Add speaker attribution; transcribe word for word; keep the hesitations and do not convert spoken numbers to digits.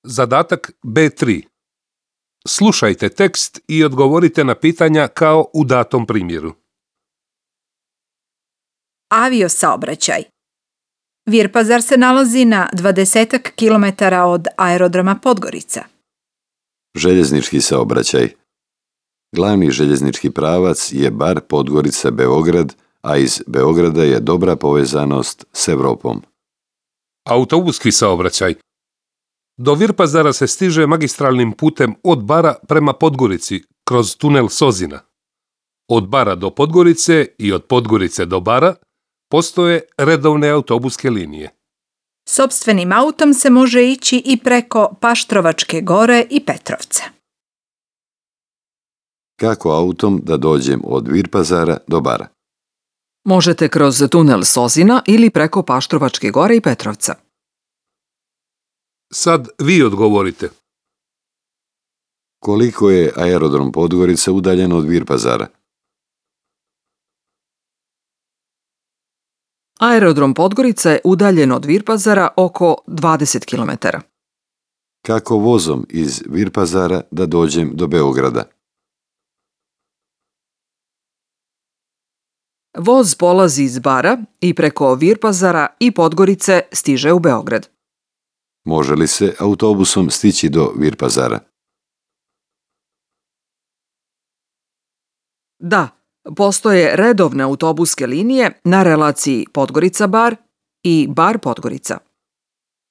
Speaker 1: Zadatak B tri. Slušajte tekst i odgovorite na pitanja kao u datom primjeru.
Speaker 2: Aviosaobraćaj. Virpazar se nalazi na dvadesetak kilometara od aerodroma Podgorica.
Speaker 3: Željeznički saobraćaj. Glavni željeznički pravac je Bar Podgorica-Beograd, a iz Beograda je dobra povezanost s Evropom.
Speaker 1: Autobuski saobraćaj. Do Virpazara se stiže magistralnim putem od Bara prema Podgorici kroz tunel Sozina. Od Bara do Podgorice i od Podgorice do Bara postoje redovne autobuske linije.
Speaker 2: Sopstvenim autom se može ići i preko Paštrovačke gore i Petrovca.
Speaker 3: Kako autom da dođem od Virpazara do Bara?
Speaker 4: Možete kroz tunel Sozina ili preko Paštrovačke gore i Petrovca.
Speaker 1: Sad vi odgovorite.
Speaker 3: Koliko je aerodrom Podgorica udaljen od Virpazara?
Speaker 4: Aerodrom Podgorica je udaljen od Virpazara oko dvadeset kilometara.
Speaker 3: Kako vozom iz Virpazara da dođem do Beograda?
Speaker 4: Voz polazi iz Bara i preko Virpazara i Podgorice stiže u Beograd.
Speaker 3: Može li se autobusom stići do Virpazara?
Speaker 4: Da, postoje redovne autobuske linije na relaciji Podgorica-Bar i Bar-Podgorica.